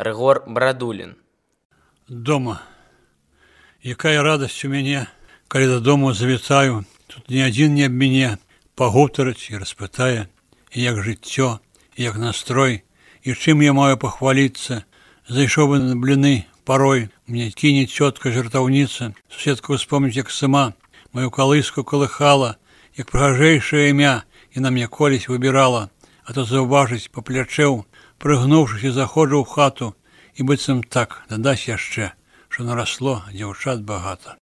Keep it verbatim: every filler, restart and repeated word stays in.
Рыгор Брадулін. Дома. Якая радасць у мяне, калі дадому завітаю, тут ні адзін не аб мяне пагутарыць і распытае, і як жыццё, і як настрой, і чым я маю пахваліцца. Зайшоў бы на бліны парой, мне кіне цётка-жартаўніца, суседка успомніць, як сама маю калыску калыхала, як прыгажэйшае імя яна мне колісь выбірала, а то заўважыць па плячэў, прыгнуўшыся, заходжу ў хату, і быццам так дадаць яшчэ, што нарасло дзяўчат багата.